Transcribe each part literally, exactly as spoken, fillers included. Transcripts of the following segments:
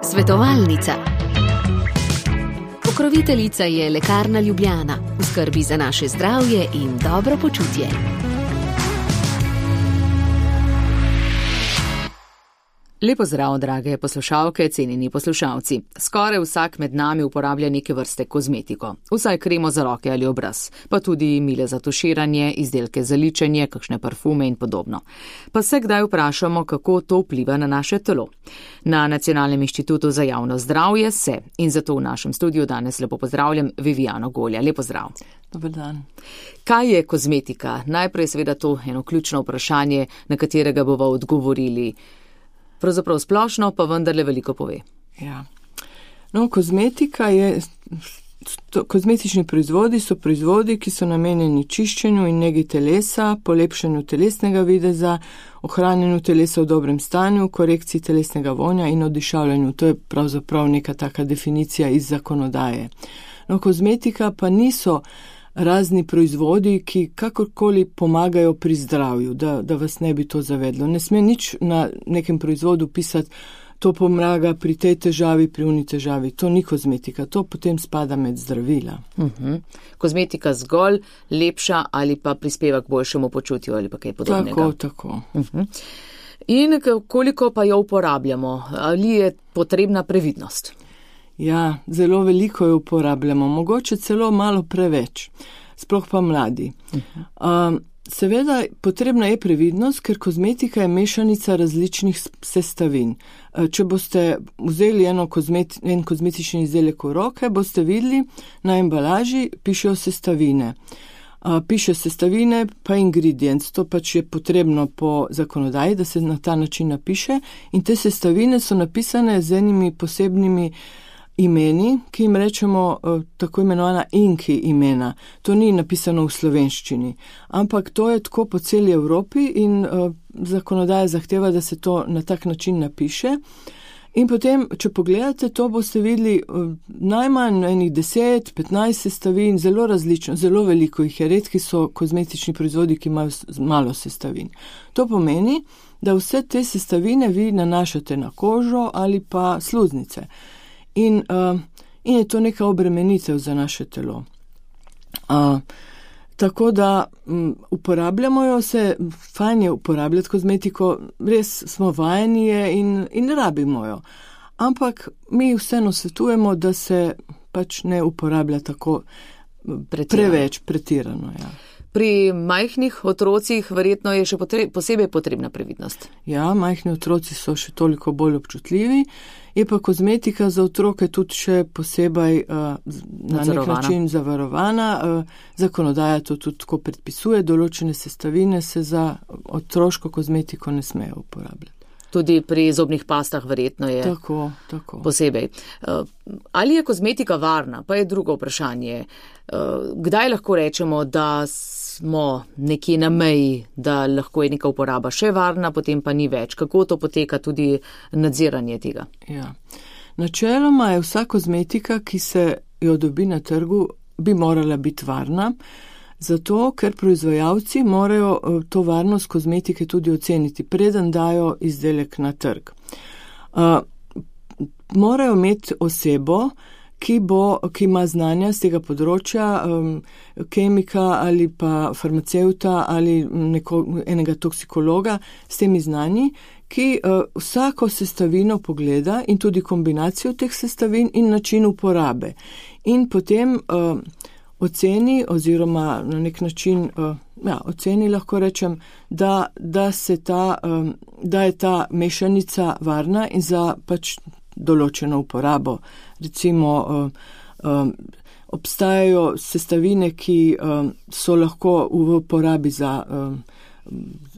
Svetovalnica. Pokroviteljica je Lekarna Ljubljana, v skrbi za naše zdravje in dobro počutje. Lepo zdrav, drage poslušalke, cenjeni poslušalci. Skoraj vsak med nami uporablja neke vrste kozmetiko. Vsaj kremo za roke ali obraz, pa tudi mile za tuširanje, izdelke za ličenje, kakšne parfume in podobno. Pa se kdaj vprašamo, kako to vpliva na naše telo. Na Nacionalnem inštitutu za javno zdravje se in zato v našem studiu danes lepo pozdravljam Vivijano Golja. Lepo zdrav. Dobar dan. Kaj je kozmetika? Najprej seveda to eno ključno vprašanje, na katerega bova odgovorili. Pravzaprav splošno, pa vendarle veliko pove. Ja. No, kozmetika je, to, kozmetični proizvodi so proizvodi, ki so namenjeni čiščenju in negi telesa, polepšanju telesnega videza, ohranjanju telesa v dobrem stanju, korekciji telesnega vonja in odišavljanju. To je pravzaprav neka taka definicija iz zakonodaje. No, kozmetika pa niso razni proizvodi, ki kakorkoli pomagajo pri zdravju, da, da vas ne bi to zavedlo. Ne sme nič na nekem proizvodu pisati, to pomaga pri tej težavi, pri uni težavi. To ni kozmetika, to potem spada med zdravila. Uh-huh. Kozmetika zgolj lepša ali pa prispeva k boljšemu počutju ali pa kaj podobnega. Tako, tako. Uh-huh. In koliko pa jo uporabljamo? Ali je potrebna previdnost? Ja, zelo veliko jo uporabljamo, mogoče celo malo preveč, sploh pa mladi. Uh-huh. Um, seveda potrebna je previdnost, ker kozmetika je mešanica različnih sestavin. Uh, če boste vzeli eno kozmeti, en kozmetični izdelek v roke, boste videli na embalaži pišejo sestavine. Uh, piše sestavine pa ingredients, to pač je potrebno po zakonodaji, da se na ta način napiše in te sestavine so napisane z enimi posebnimi imeni, ki jim rečemo uh, tako imenovana inki imena. To ni napisano v slovenščini, ampak to je tako po celi Evropi in uh, zakonodaja zahteva, da se to na tak način napiše. In potem, če pogledate, to boste videli uh, najmanj enih deset, petnajst sestavin, zelo različno, zelo veliko jih je. Redki so kozmetični proizvodi, ki imajo malo sestavin. To pomeni, da vse te sestavine vi nanašate na kožo ali pa sluznice. In, uh, in je to neka obremenitev za naše telo. Uh, tako da um, uporabljamo jo se, fajn je uporabljati kozmetiko, res smo vajeni je in, in rabimo jo. Ampak mi vseeno svetujemo, da se pač ne uporablja tako pretirano. Preveč pretirano. Ja. Pri majhnih otrocih verjetno je še potre- posebej potrebna previdnost. Ja, majhni otroci so še toliko bolj občutljivi. Je pa kozmetika za otroke tudi še posebej uh, na nek način zavarovana. Uh, zakonodaja to tudi tako predpisuje, določene sestavine se za otroško kozmetiko ne smejo uporabljati. Tudi pri zobnih pastah verjetno je tako, tako. Posebej. Uh, ali je kozmetika varna, pa je drugo vprašanje. Uh, kdaj lahko rečemo, da smo nekje na meji, da lahko je neka uporaba še varna, potem pa ni več? Kako to poteka tudi nadziranje tega? Ja. Načeloma je vsa kozmetika, ki se jo dobi na trgu, bi morala biti varna, zato ker proizvajalci morajo to varnost kozmetike tudi oceniti, preden dajo izdelek na trg. Uh, morajo imeti osebo, ki, bo, ki ima znanja z tega področja, um, kemika ali pa farmacevta ali neko, enega toksikologa s temi znanji, ki uh, vsako sestavino pogleda in tudi kombinacijo teh sestavin in način uporabe. In potem uh, oceni oziroma na nek način, uh, ja, oceni lahko rečem, da, da, se ta, um, da je ta mešanica varna in za pač določeno uporabo. Recimo, um, um, obstajajo sestavine, ki um, so lahko v uporabi za um,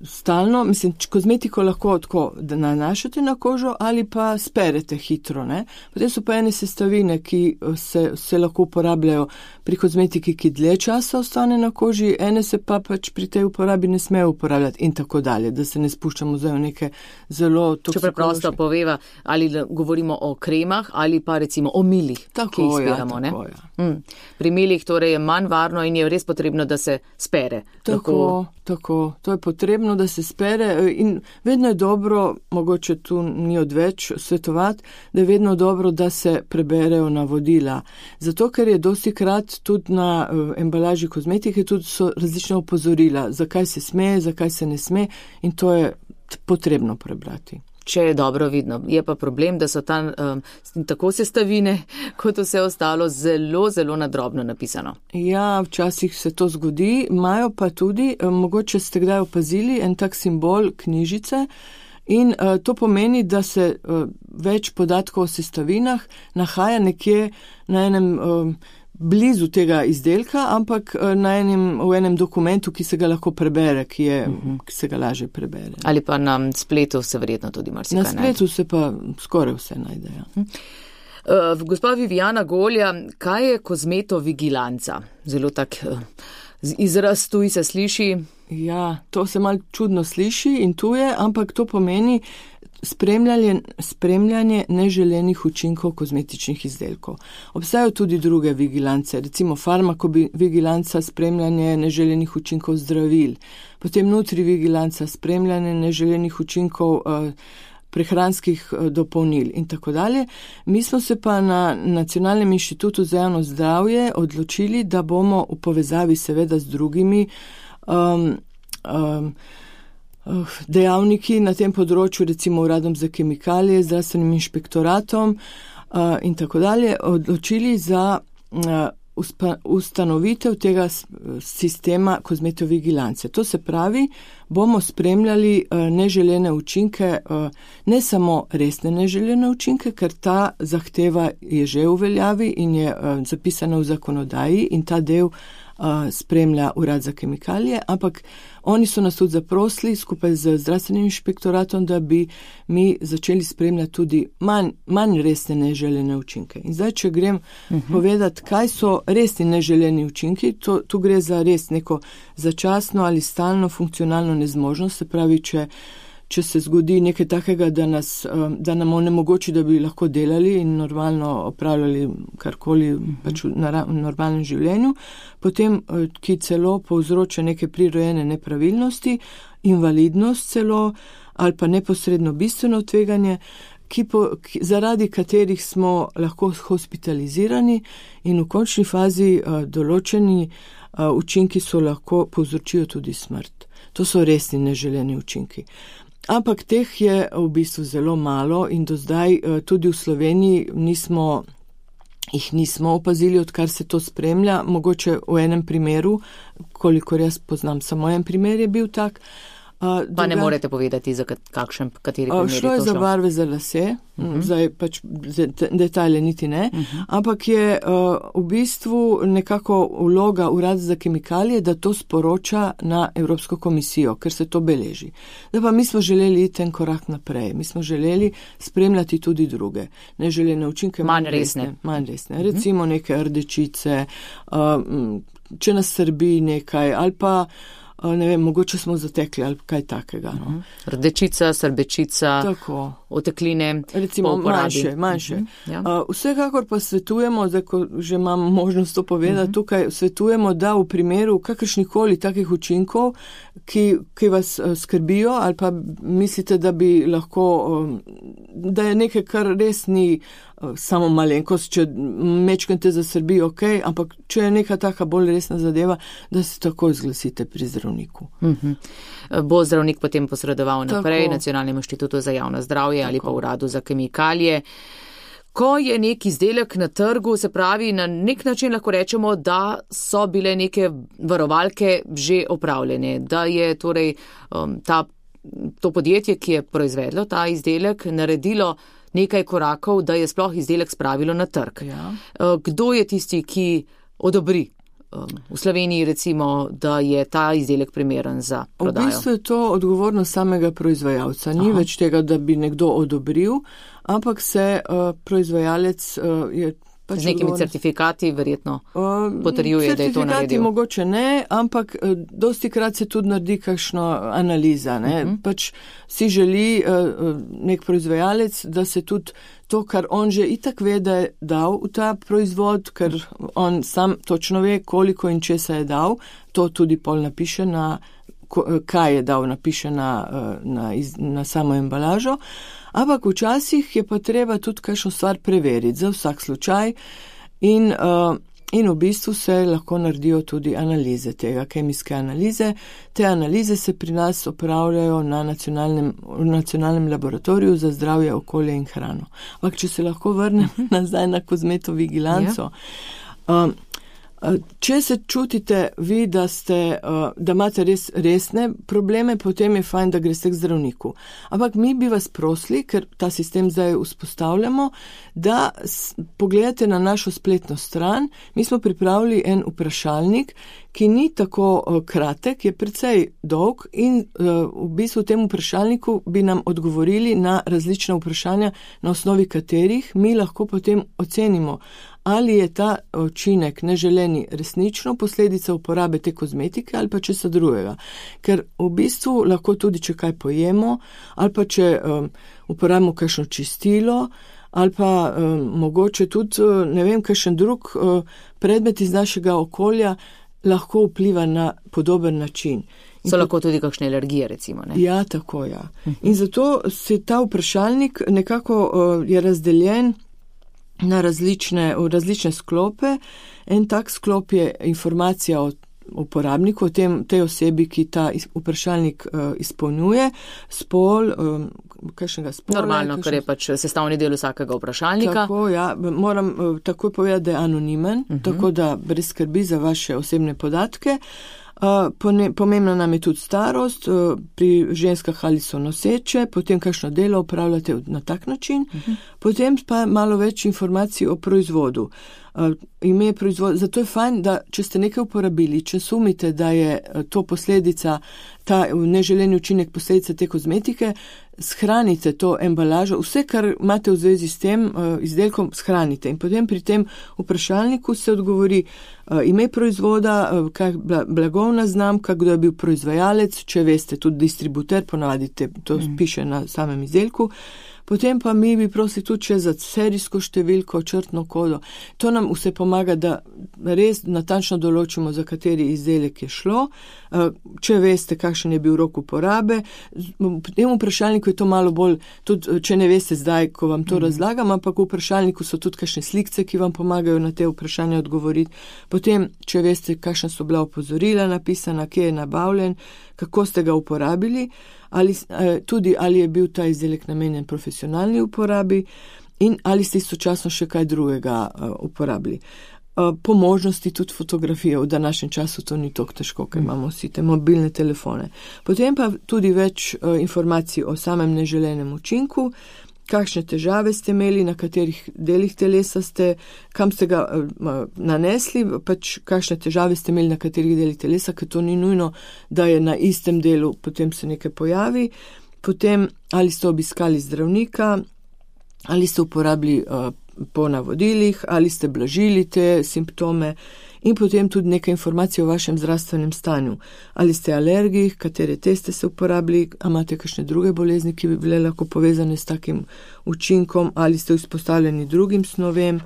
stalno, mislim, kozmetiko lahko tako nanašate na kožo ali pa sperete hitro, ne. Potem so pa ene sestavine, ki se, se lahko uporabljajo pri kozmetiki, ki dlje časa ostane na koži, ene se pa pač pri tej uporabi ne smejo uporabljati in tako dalje, da se ne spuščamo zdaj v neke zelo toksikološke. Če preprosto poveva, ali govorimo o kremah ali pa recimo o milih, tako, ki jih speramo, ja, tako, ne? Ja. Mm. Pri milih torej je manj varno in je res potrebno, da se spere. Tako, lahko... tako, to je potrebno. potrebno, da se spere in vedno je dobro, mogoče tu ni odveč svetovati, da je vedno dobro, da se preberejo navodila. Zato, ker je dosti krat tudi na embalaži kozmetike tudi so različna opozorila, zakaj se sme, zakaj se ne sme in to je potrebno prebrati. Če je dobro vidno. Je pa problem, da so tam um, tako sestavine, kot vse ostalo, zelo, zelo nadrobno napisano. Ja, včasih se to zgodi, imajo pa tudi, um, mogoče ste kdaj opazili, en tak simbol knjižice in uh, to pomeni, da se uh, več podatkov o sestavinah nahaja nekje na enem um, blizu tega izdelka, ampak na enem, v enem dokumentu, ki se ga lahko prebere, ki, je, uh-huh. ki se ga lažje prebere. Ali pa na spletu se verjetno tudi marsikaj najde. Na spletu najde. Se pa skoraj vse najde. Ja. Uh-huh. Uh, gospa Viviana Golja, kaj je kozmetovigilanca? Zelo tak uh, izraz tuj se sliši. Ja, to se malo čudno sliši in tuje, ampak to pomeni Spremljanje, spremljanje neželenih učinkov kozmetičnih izdelkov. Obstajajo tudi druge vigilance, recimo farmakovigilanca, spremljanje neželenih učinkov zdravil, potem nutrivigilanca, spremljanje neželenih učinkov eh, prehranskih eh, dopolnil in tako dalje. Mi smo se pa na Nacionalnem inštitutu za javno zdravje odločili, da bomo v povezavi seveda z drugimi um, um, dejavniki na tem področju, recimo uradom za kemikalije, zdravstvenim inšpektoratom uh, in tako dalje, odločili za uh, ustanovitev tega sistema kozmetovigilance. To se pravi, bomo spremljali uh, neželene učinke, uh, ne samo resne neželene učinke, ker ta zahteva je že v veljavi in je uh, zapisana v zakonodaji in ta del spremlja urad za kemikalije, ampak oni so nas tudi zaprosili skupaj z zdravstvenim inšpektoratom, da bi mi začeli spremljati tudi manj, manj resne neželene učinke. In zdaj, če grem uh-huh. povedati, kaj so resni neželeni učinki, to, tu gre za res neko začasno ali stalno funkcionalno nezmožnost, se pravi, če če se zgodi nekaj takega, da, nas, da nam onemogoči, da bi lahko delali in normalno opravljali karkoli pač v normalnem življenju, potem, ki celo povzroča neke prirojene nepravilnosti, invalidnost celo ali pa neposredno bistveno tveganje, ki po, ki, zaradi katerih smo lahko hospitalizirani in v končni fazi uh, določeni uh, učinki so lahko povzročijo tudi smrt. To so resni neželeni učinki. Ampak teh je v bistvu zelo malo in do zdaj tudi v Sloveniji nismo, jih nismo opazili, odkar se to spremlja. Mogoče v enem primeru, kolikor jaz poznam, samo en primer je bil tak. Pa druga, ne morete povedati, za kakšen, kateri primer je to šlo? Šlo je za barve za lase, uh-huh. zdaj pač detajle niti ne, uh-huh. ampak je uh, v bistvu nekako vloga urada za kemikalije, da to sporoča na Evropsko komisijo, ker se to beleži. Da pa mi smo želeli iti en korak naprej, mi smo želeli spremljati tudi druge neželene učinke. Manj resne. Manj resne. Uh-huh. Recimo neke rdečice, uh, če nas srbi nekaj ali pa ne vem, mogoče smo zatekli ali kaj takega. No. Uh-huh. Rdečica, srbečica, tako. Otekline, recimo manjše, manjše. Uh-huh. Ja. Uh, vsekakor pa svetujemo, da ko že imamo možnost to povedati, uh-huh. tukaj svetujemo, da v primeru kakršnikoli takih učinkov, ki, ki vas uh, skrbijo ali pa mislite, da bi lahko, um, da je nekaj, kar res ni uh, samo malenkost, če mečkam te zasrbi, ok, ampak če je neka taka bolj resna zadeva, da se takoj zglasite pri zdravniku. Uh-huh. Bo zdravnik potem posredoval naprej Tako. Nacionalnemu inštitutu za javno zdravje Tako. Ali pa uradu za kemikalije. Ko je nek izdelek na trgu, se pravi, na nek način lahko rečemo, da so bile neke varovalke že opravljene, da je torej um, ta, to podjetje, ki je proizvedlo ta izdelek, naredilo nekaj korakov, da je sploh izdelek spravilo na trg. Ja. Kdo je tisti, ki odobri v Sloveniji, recimo, da je ta izdelek primeren za prodajo? V bistvu je to odgovornost samega proizvajalca. Ni Aha. več tega, da bi nekdo odobril, ampak se uh, proizvajalec uh, je pač z nekimi odgovornost... certifikati verjetno uh, potrjuje, da je to naredil. Certifikati mogoče ne, ampak uh, dosti krat se tudi naredi kakšno analiza. Ne? Uh-huh. Pač si želi uh, nek proizvajalec, da se tudi to, kar on že itak ve, da je dal v ta proizvod, ker on sam točno ve, koliko in česa je dal, to tudi pol napiše na kaj je dal, napiše na, na, na samo embalažo, ampak včasih je pa treba tudi kakšno stvar preveriti za vsak slučaj in, in v bistvu se lahko naredijo tudi analize tega, kemijske analize. Te analize se pri nas opravljajo na nacionalnem, nacionalnem laboratoriju za zdravje, okolje in hrano. Ampak če se lahko vrnem nazaj na kozmetovigilanco, ja. um, Če se čutite vi, da, ste, da imate res resne probleme, potem je fajn, da greste k zdravniku. Ampak mi bi vas prosili, ker ta sistem zdaj vzpostavljamo, da pogledate na našo spletno stran. Mi smo pripravili en vprašalnik, ki ni tako kratek, je precej dolg in v bistvu v tem vprašalniku bi nam odgovorili na različna vprašanja, na osnovi katerih mi lahko potem ocenimo, ali je ta učinek neželeni resnično posledica uporabe te kozmetike ali pa česa drugega. Ker v bistvu lahko tudi, če kaj pojemo, ali pa če um, uporabimo kakšno čistilo, ali pa um, mogoče tudi, ne vem, kakšen drug uh, predmet iz našega okolja lahko vpliva na podoben način. In so lahko tudi kakšne alergije, recimo, ne? Ja, tako, ja. In zato se ta vprašalnik nekako uh, je razdeljen na različne, v različne sklope. En tak sklop je informacija o uporabniku, o tem, tej osebi, ki ta vprašalnik uh, izpolnjuje, spol, um, kakšnega spola. Normalno, kakšen... ker je pač sestavni del vsakega vprašalnika. Tako, ja, moram uh, takoj povedati, da je anonimen, uh-huh. tako da brez skrbi za vaše osebne podatke. Uh, pomembna nam je tudi starost, uh, pri ženskah ali so noseče, potem kakšno delo upravljate na tak način, uh-huh. potem pa malo več informacij o proizvodu. Uh, ime proizvod, zato je fajn, da če ste nekaj uporabili, če sumite, da je to posledica, ta neželeni učinek posledica te kozmetike, shranite to embalažo, vse, kar imate v zvezi s tem uh, izdelkom, shranite. In potem pri tem vprašalniku se odgovori uh, ime proizvoda, uh, kak blagovna znamka, kdo je bil proizvajalec, če veste, tudi distributer, ponavadi to mm. piše na samem izdelku. Potem pa mi bi prosili tudi še za serijsko številko, črtno kodo. To nam vse pomaga, da res natančno določimo, za kateri izdelek je šlo. Če veste, kakšen je bil rok uporabe. V tem vprašalniku je to malo bolj, tudi če ne veste zdaj, ko vam to mm. razlagam, ampak v vprašalniku so tudi kakšne slikce, ki vam pomagajo na te vprašanja odgovoriti. Potem, če veste, kakšna so bila opozorila napisana, kje je nabavljen, kako ste ga uporabili, ali, tudi ali je bil ta izdelek namenjen profesionalni uporabi in ali ste istočasno še kaj drugega uporabili. Po možnosti tudi fotografije, v današnjem času to ni tako težko, ker imamo vsi te mobilne telefone. Potem pa tudi več informacij o samem neželenem učinku, kakšne težave ste imeli, na katerih delih telesa ste, kam ste ga uh, nanesli, pač kakšne težave ste imeli na katerih delih telesa, ker to ni nujno, da je na istem delu, potem se nekaj pojavi. Potem, ali ste obiskali zdravnika, ali ste uporabili uh, po navodilih, ali ste blažili te simptome. In potem tudi nekaj informacij o vašem zdravstvenem stanju. Ali ste alergik, katere teste se uporabili, a imate kakšne druge bolezni, ki bi bile lahko povezane s takim učinkom, ali ste izpostavljeni drugim snovem.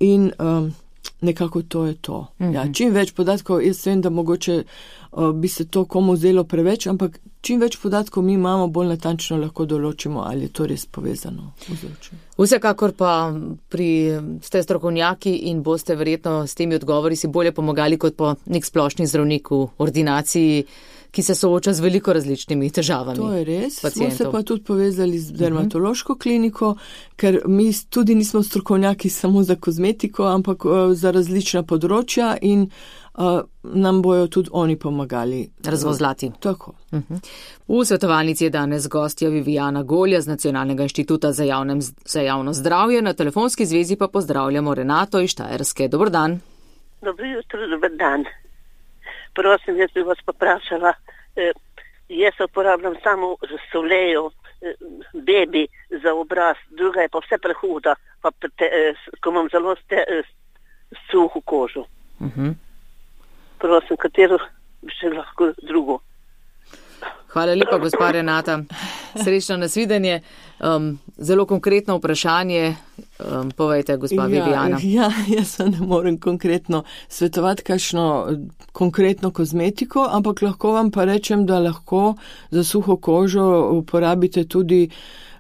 In um, nekako to je to. Mm-hmm. Ja, čim več podatkov, jaz vem, da mogoče uh, bi se to komu zdelo preveč, ampak čim več podatkov mi imamo, bolj natančno lahko določimo, ali je to res povezano. Vsekakor pa pri ste strokovnjaki in boste verjetno s temi odgovori si bolje pomagali kot po nek splošni zdravnik v ordinaciji, ki se sooča z veliko različnimi težavami. To je res. Pacientov. Smo se pa tudi povezali z dermatološko kliniko, ker mi tudi nismo strokovnjaki samo za kozmetiko, ampak uh, za različna področja in uh, nam bojo tudi oni pomagali. Razvozlati. Tako. Uh-huh. V svetovalnici je danes gostja Vivijana Golja z Nacionalnega inštituta za, javnem, za javno zdravje. Na telefonski zvezi pa pozdravljamo Renato iz Štajerske. Dobar dan. Dobro jutro, dobar dan. Prosim, jaz bi vas poprašala, eh, jaz uporabljam samo solejo, eh, bebi za obraz, druga je pa vse prehuda, pa te, eh, ko imam zelo ste, eh, suho kožo. Uh-huh. Prosim, katero bi še lahko drugo. Hvala lepa, gospa Renata. Srečno nasvidenje. Um, zelo konkretno vprašanje. Um, povejte, gospa Viviana. Ja, ja, jaz ne morem konkretno svetovati kakšno konkretno kozmetiko, ampak lahko vam pa rečem, da lahko za suho kožo uporabite tudi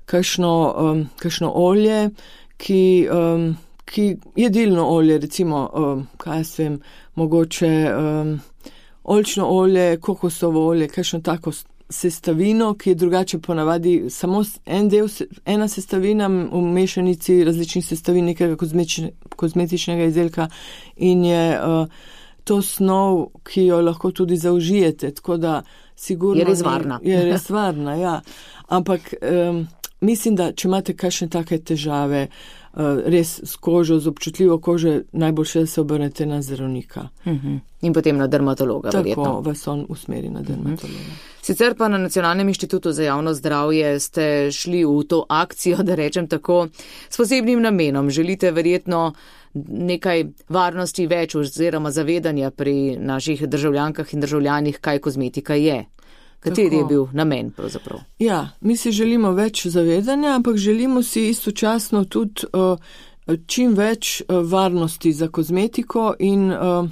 kakšno, um, kakšno olje, ki, um, ki jedilno olje, recimo, um, kaj se vem, mogoče um, oljčno olje, kokosovo olje, kakšno tako sestavino, ki je drugače ponavadi samo en del, ena sestavina v mešanici različnih sestavin nekega kozmetičnega izdelka in je uh, to snov, ki jo lahko tudi zaužijete, tako da sigurno je res varna. Je res varna, ja. Ampak um, mislim, da če imate kakšne take težave, uh, res s kožo, z občutljivo kožo, najboljše, da se obrnete na zdravnika. Uh-huh. In potem na dermatologa, Tako verjetno. Tako vas on usmeri na dermatologa. Uh-huh. Sicer pa na Nacionalnem inštitutu za javno zdravje ste šli v to akcijo, da rečem tako, s posebnim namenom. Želite verjetno nekaj varnosti več oziroma zavedanja pri naših državljankah in državljanih, kaj kozmetika je. Kateri Tako. je bil namen pravzaprav? Ja, mi si želimo več zavedanja, ampak želimo si istočasno tudi uh, čim več uh, varnosti za kozmetiko in uh,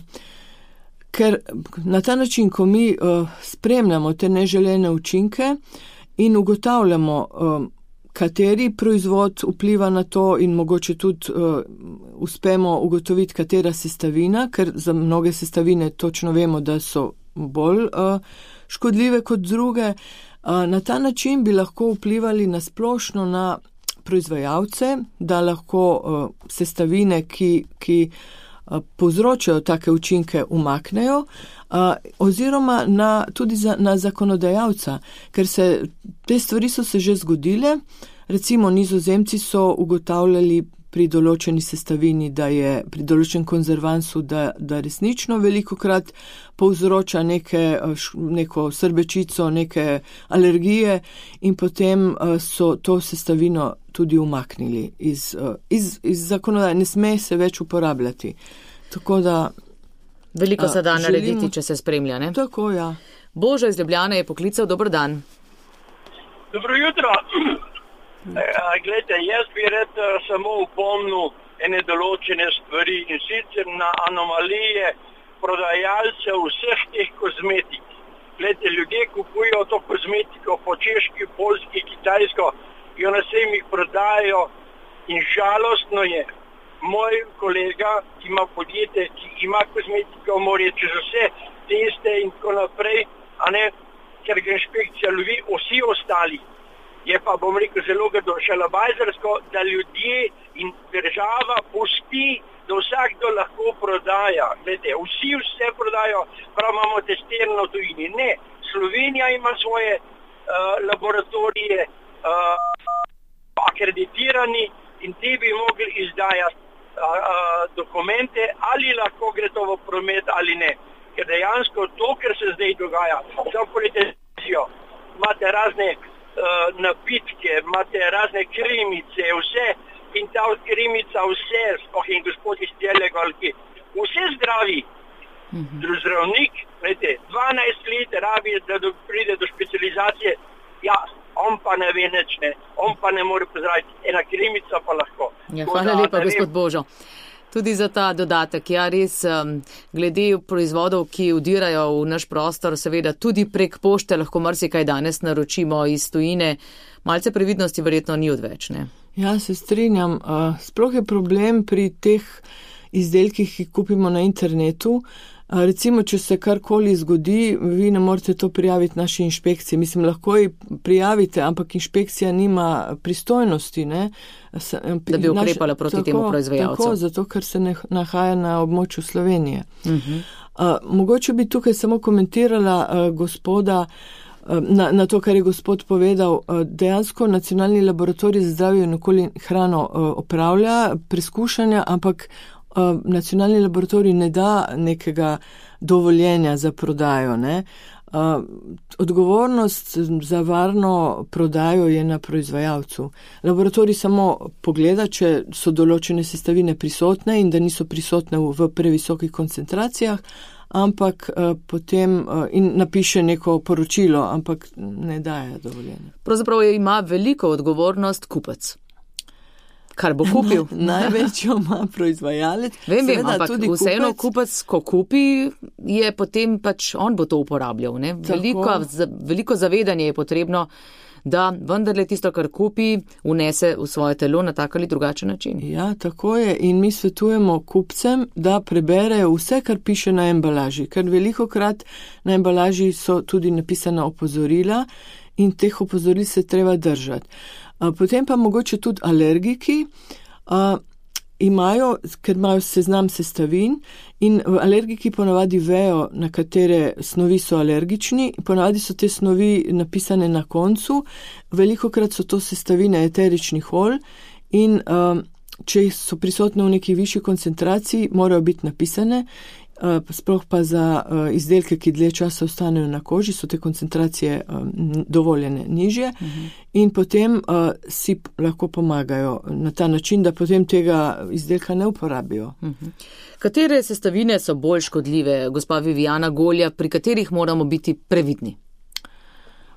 ker na ta način, ko mi uh, spremljamo te neželene učinke in ugotavljamo, uh, kateri proizvod vpliva na to in mogoče tudi uh, uspemo ugotoviti, katera sestavina, ker za mnoge sestavine točno vemo, da so bolj uh, škodljive kot druge. Uh, na ta način bi lahko vplivali na splošno na proizvajalce, da lahko uh, sestavine, ki, ki povzročajo take učinke, umaknejo, uh, oziroma na, tudi za, na zakonodajalca, ker se te stvari so se že zgodile. Recimo Nizozemci so ugotavljali pri določeni sestavini, da je pri določenem konzervansu, da, da resnično velikokrat povzroča neke, neko srbečico, neke alergije in potem uh, so to sestavino tudi umaknili iz, uh, iz, iz zakonodaje. Ne sme se več uporabljati. Tako da veliko se da uh, narediti, želimo, če se spremlja, ne? Tako, ja. Božo iz Ljubljane je poklical. Dober dan. Dobro jutro. Glejte, jaz bi rad samo upomnil ene določene stvari in sicer na anomalije prodajalcev vseh teh kozmetik. Glejte, ljudje kupujo to kozmetiko po češki, polski, kitajsko, jo na sejmih prodajajo in žalostno je. Moj kolega, ki ima podjetje, ki ima kozmetiko, mora čez vse teste in tako naprej, a ne, ker ga inšpekcija lovi, vsi ostali. Je pa, bom rekel, zelo šalabajzersko, da ljudje in država pusti, da vsakdo lahko prodaja. Glede, vsi vse prodajo, prav imamo testirano tujini. Ne, Slovenija ima svoje uh, laboratorije uh, akreditirani in ti bi mogli izdajati uh, uh, dokumente, ali lahko gre to v promet ali ne. Ker dejansko to, kar se zdaj dogaja, samo politizacijo, imate razne Uh, napitke, imate razne krimice, vse, in ta krimica vse, spoh in gospod iz Telegalki, vse zdravi. Mm-hmm. Zdravnik, vete, dvanajst let rabi, da do, pride do specializacije, ja, on pa ne ve nič, ne, on pa ne more pozdraviti, ena krimica pa lahko. Ja, hvala lepa, gospod Božo. Tudi za ta dodatek. Ja, res, glede proizvodov, ki vdirajo v naš prostor, seveda tudi prek pošte lahko marsikaj danes naročimo iz tujine. Malce previdnosti verjetno ni odveč, ne? Ja, se strinjam. Sploh je problem pri teh izdelkih, ki kupimo na internetu. Recimo, če se karkoli zgodi, vi ne morete to prijaviti naši inšpekciji. Mislim, lahko ji prijavite, ampak inšpekcija nima pristojnosti, ne? Da bi ukrepala proti tako, temu proizvajalcu. Tako, zato, ker se ne nahaja na območju Slovenije. Uh-huh. Uh, mogoče bi tukaj samo komentirala uh, gospoda, uh, na, na to, kar je gospod povedal. Uh, dejansko Nacionalni laboratorij za zdravje in okolje in hrano uh, opravlja preskušanja, ampak uh, Nacionalni laboratorij ne da nekega dovoljenja za prodajo, ne. Uh, odgovornost za varno prodajo je na proizvajalcu. Laboratorij samo pogleda, če so določene sestavine prisotne in da niso prisotne v, v previsokih koncentracijah, ampak uh, potem uh, in napiše neko poročilo, ampak ne daje dovoljenja. Pravzaprav ima veliko odgovornost kupec. Kar bo kupil. Največjo ima proizvajalec. Vem, vem, ampak vseeno kupec, ko kupi, je potem pač on bo to uporabljal. Ne? Veliko, veliko zavedanje je potrebno, da vendarle tisto, kar kupi, unese v svoje telo na tak ali drugačen način. Ja, tako je. In mi svetujemo kupcem, da preberejo vse, kar piše na embalaži. Ker velikokrat na embalaži so tudi napisana opozorila in teh opozoril se treba držati. Potem pa mogoče tudi alergiki a, imajo, ker imajo seznam sestavin in alergiki ponavadi vejo, na katere snovi so alergični, ponavadi so te snovi napisane na koncu, velikokrat so to sestavine eteričnih olj in a, če so prisotne v neki višji koncentraciji, morajo biti napisane, a, sploh pa za a, izdelke, ki dlje časa ostanejo na koži, so te koncentracije a, dovoljene nižje. Mhm. In potem uh, si lahko pomagajo na ta način, da potem tega izdelka ne uporabijo. Uh-huh. Katere sestavine so bolj škodljive, gospa Viviana Golja, pri katerih moramo biti previdni?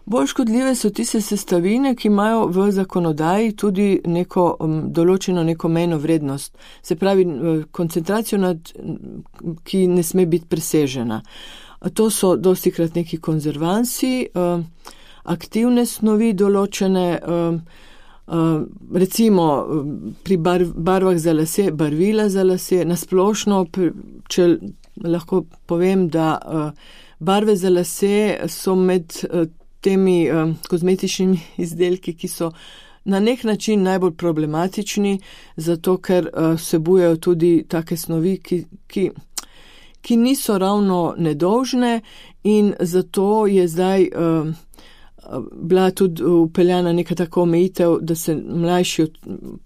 Bolj škodljive so tiste sestavine, ki imajo v zakonodaji tudi neko um, določeno neko mejno vrednost. Se pravi, koncentracijo, nad, ki ne sme biti presežena. To so dostikrat neki konzervansi, uh, aktivne snovi določene, uh, uh, recimo pri bar, barvah za lase, barvila za lase, nasplošno, če lahko povem, da uh, barve za lase so med uh, temi uh, kozmetičnimi izdelki, ki so na nek način najbolj problematični, zato ker uh, vsebujejo tudi take snovi, ki, ki, ki niso ravno nedolžne in zato je zdaj uh, bila tudi upeljana neka taka omejitev, da se mlajši,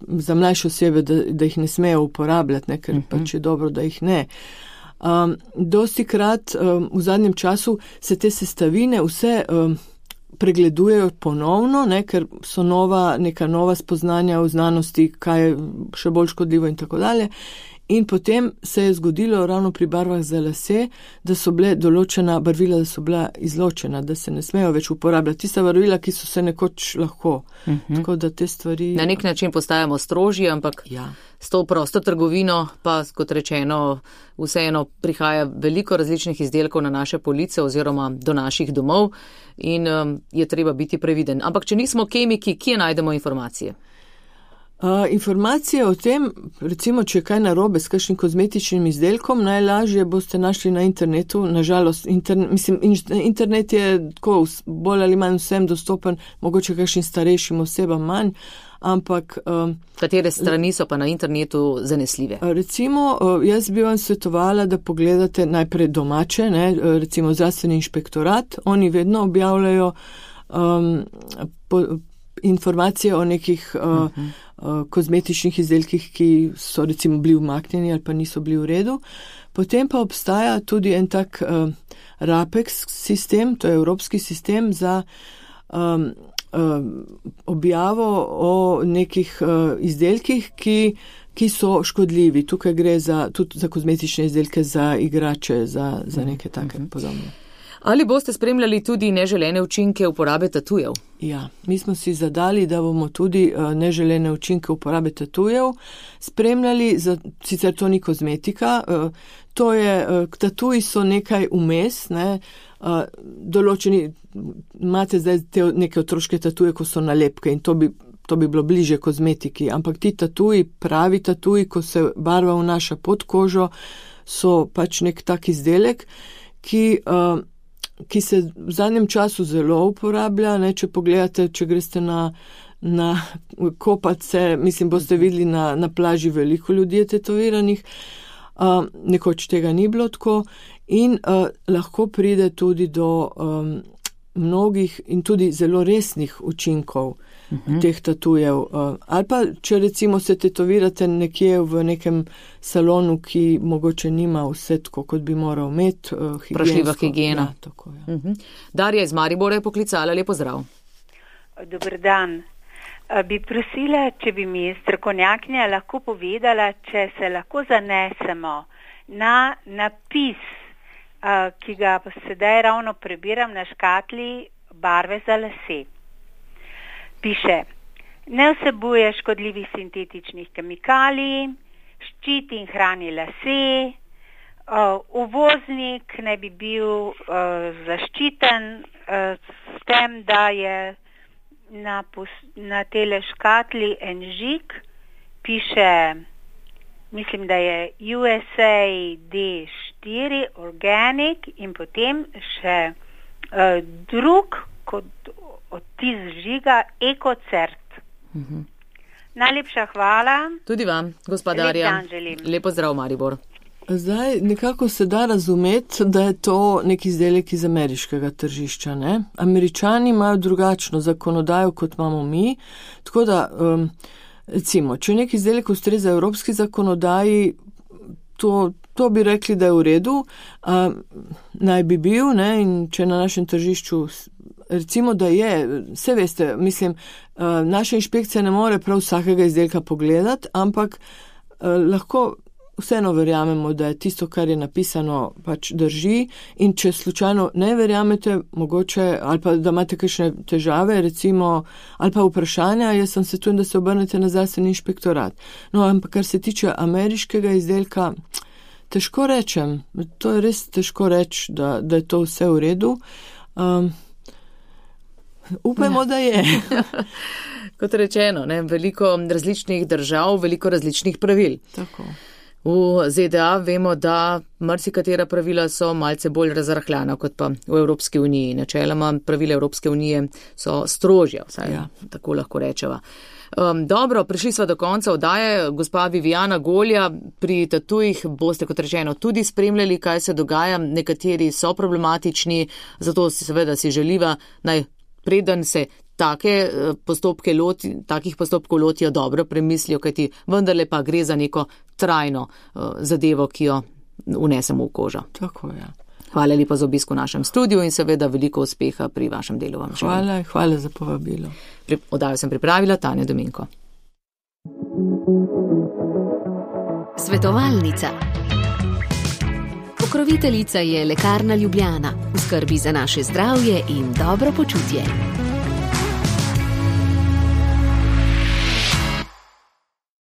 za mlajše osebe, da, da jih ne smejo uporabljati, ne, ker uh-huh. pač je dobro, da jih ne. Um, dosti krat um, v zadnjem času se te sestavine vse um, pregledujejo ponovno, ne, ker so nova, neka nova spoznanja v znanosti, kaj je še bolj škodljivo in tako dalje. In potem se je zgodilo ravno pri barvah za lase, da so bile določena barvila, da so bila izločena, da se ne smejo več uporabljati. Tista barvila, ki so se nekoč lahko. Uh-huh. Tako da te stvari... Na nek način postajamo strožji, ampak ja. S to prosto trgovino pa, kot rečeno, vseeno prihaja veliko različnih izdelkov na naše police oziroma do naših domov in um, je treba biti previden. Ampak če nismo kemiki, kje najdemo informacije? Uh, informacije o tem, recimo, če je kaj narobe s kakšnim kozmetičnim izdelkom, najlažje boste našli na internetu. Nažalost, interne, mislim, internet je tako bolj ali manj vsem dostopen, mogoče kakšnim starejšim osebam manj, ampak... Um, Katere strani so pa na internetu zanesljive? Recimo, jaz bi vam svetovala, da pogledate najprej domače, ne, recimo zdravstveni inšpektorat, oni vedno objavljajo um, po, informacije o nekih uh, uh-huh. uh, kozmetičnih izdelkih, ki so recimo bili umaknjeni ali pa niso bili v redu. Potem pa obstaja tudi en tak uh, RAPEX sistem, to je evropski sistem za um, uh, objavo o nekih uh, izdelkih, ki, ki so škodljivi. Tukaj gre za, tudi za kozmetične izdelke, za igrače, za, za neke take uh-huh. podobne. Ali boste spremljali tudi neželene učinke uporabe tatujev? Ja, mi smo si zadali, da bomo tudi uh, neželene učinke uporabe tatujev spremljali, za, sicer to ni kozmetika, uh, to je, uh, tatuji so nekaj vmes, ne, uh, določeni, imate zdaj te neke otroške tatuje, ko so nalepke in to bi, to bi bilo bliže kozmetiki, ampak ti tatuji, pravi tatuji, ko se barva vnaša pod kožo, so pač nek tak izdelek, ki... Uh, ki se v zadnjem času zelo uporablja, ne, če pogledate, če greste na, na kopace, mislim, boste videli na, na plaži veliko ljudi tetoviranih, uh, nekoč tega ni bilo tako in uh, lahko pride tudi do um, mnogih in tudi zelo resnih učinkov uh-huh. teh tatujev. Uh, ali pa, če recimo se tetovirate nekje v nekem salonu, ki mogoče nima vse tako, kot bi moral imeti. Uh, Vprašljiva higiena. Ja, tako, ja. Uh-huh. Darja iz Maribora je poklicala, lepo zdrav. Dober dan. Bi prosila, če bi mi strokovnjakinja lahko povedala, če se lahko zanesemo na napis ki ga pa sedaj ravno prebiram na škatli barve za lase. Piše, ne vsebuje škodljivih sintetičnih kemikalij, ščiti in hrani lase, uh, uvoznik naj bi bil uh, zaščiten uh, s tem, da je na, na tele škatli en žig, piše, mislim, da je U S A D štiri organic in potem še uh, drug kot odtis žiga EcoCert. Mhm. Najlepša hvala. Tudi vam, gospa Darja. Lep pozdrav, Maribor. Zdaj, nekako se da razumeti, da je to nek izdelek iz ameriškega tržišča, ne? Američani imajo drugačno zakonodajo, kot imamo mi, tako da, um, recimo, če nek izdelek ustreza evropski zakonodaji, to, to bi rekli, da je v redu, um, naj bi bil, ne? In če na našem tržišču recimo, da je, vse veste, mislim, naša inšpekcija ne more prav vsakega izdelka pogledati, ampak lahko vseeno verjamemo, da je tisto, kar je napisano, pač drži in če slučajno ne verjamete, mogoče, ali pa da imate kakšne težave, recimo, ali pa vprašanja, jaz sem svetujem, da se obrnete na zdravstveni inšpektorat. No, ampak kar se tiče ameriškega izdelka, težko rečem, to je res težko reči, da, da je to vse v redu. Um, Upajmo, ja. Da je. Kot rečeno, ne, veliko različnih držav, veliko različnih pravil. Tako. V Z D A vemo, da marsikatera pravila so malce bolj razrahljana kot pa v Evropski uniji. Načeloma pravila Evropske unije so strožja, vsaj ja. Tako lahko rečeva. Um, dobro, prišli smo do konca oddaje. Gospa Viviana Golja, pri tatujih boste, kot rečeno, tudi spremljali, kaj se dogaja. Nekateri so problematični, zato si seveda si želiva naj preden se take postopke loti, takih postopkov lotijo, dobro premislijo, kajti vendarle pa gre za neko trajno uh, zadevo, ki jo unesemo v kožo. Tako je. Hvala lepa za obisk v našem studiu in seveda veliko uspeha pri vašem delu. Vam hvala, hvala za povabilo. Pri, oddajo sem pripravila Tanja Dominko. Svetovalnica. Pokroviteljica je Lekarna Ljubljana. V skrbi za naše zdravje in dobro počutje.